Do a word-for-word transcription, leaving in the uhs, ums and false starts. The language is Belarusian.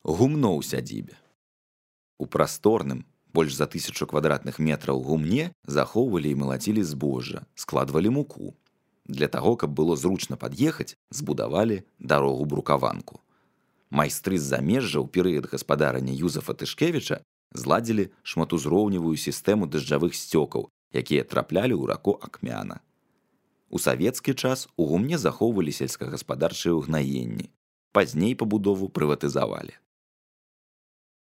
Гумно ў сядзібе. У прасторным, больш за тысячу квадратных метраў гумне захоўвалі і малацілі збожжа, складвалі муку. Для таго, каб было зручна пад'ехаць, збудавалі дарогу-брукаванку. Майстры з замежжа ў перыяд гаспадарання Юзафа Тышкевіча зладзілі шматузроўневую сістэму дажджавых сцёкаў, якія траплялі ў раку Акмяна. У савецкі час у гумне захоўвалі сельскагаспадарчыя ўгнаенні. Пазней пабудову прыватызавалі.